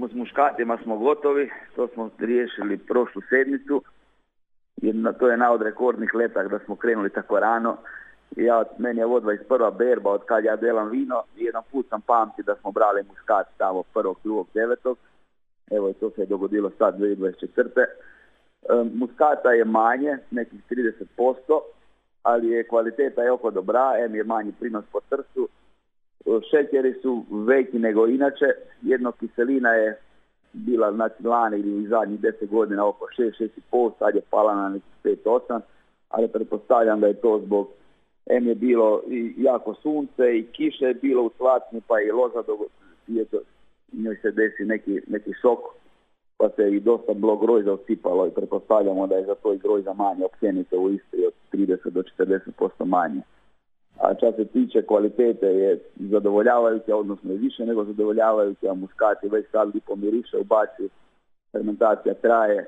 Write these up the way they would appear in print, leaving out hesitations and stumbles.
s muškatima smo gotovi, to smo riješili prošlu sedmicu. To je od rekordnih letak da smo krenuli tako rano. Meni je ovo 21. berba od kad ja delam vino i jedan put sam pamti da smo brali muskat tamo 1. 2. 9. Evo i to se je dogodilo sad 2024. Muskata je manje, nekih 30%, ali je kvaliteta je oko dobra, je manji prinos po trstu. Šećeri su veći nego inače, jedno kiselina je bila lani ili zadnjih 10 godina oko 6,5, sad je pala na nekih 5,8, ali pretpostavljam da je to zbog je bilo i jako sunce i kiše je bilo u Slatni, pa i loza njoj se desi neki šok, pa se i dosta bilo grojza osipalo i pretpostavljamo da je za to i grojza manje općenito u Istri od 30 do 40% manje. A što se tiče kvalitete je zadovoljavajuća, odnosno je više nego zadovoljavajuća, muskati već sad lipo miriše u baci, fermentacija traje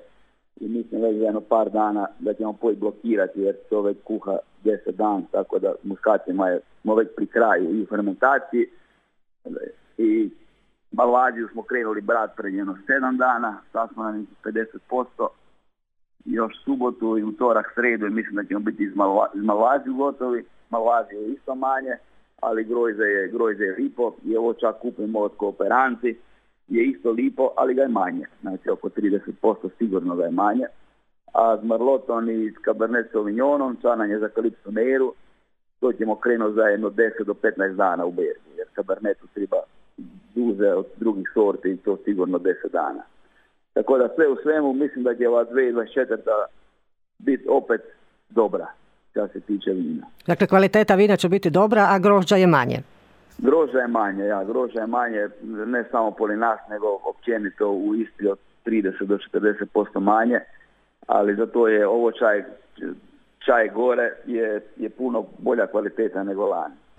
i mislim već za jedno par dana da ćemo blokirati jer to već kuha 10 dana, tako da muskatima smo već pri kraju i u fermentaciji i Malvaziju smo krenuli brat pred jedno 7 dana, sad smo na nekih 50%, još subotu i utorak, sredu i mislim da ćemo biti iz Malvaziju gotovi. Malvazije je isto manje, ali grojze je lipo i ovo čak kupimo od Kooperanti, je isto lipo, ali ga je manje, znači oko 30% sigurno ga je manje. A s Merlotom i s Cabernet Sauvignonom, čanan je za Calypso Neiru, to ćemo krenuti za jedno 10 do 15 dana u berbi, jer Cabernetu treba duže od drugih sorti i to sigurno 10 dana. Tako da sve u svemu mislim da će ova 2024. biti opet dobra što se tiče vina. Dakle, kvaliteta vina će biti dobra, a grožđa je manje. Grožđa je manje, ne samo pored nas, nego općenito u Istri od 30 do 40% manje, ali zato je ovo čaj gore je puno bolja kvaliteta nego lani.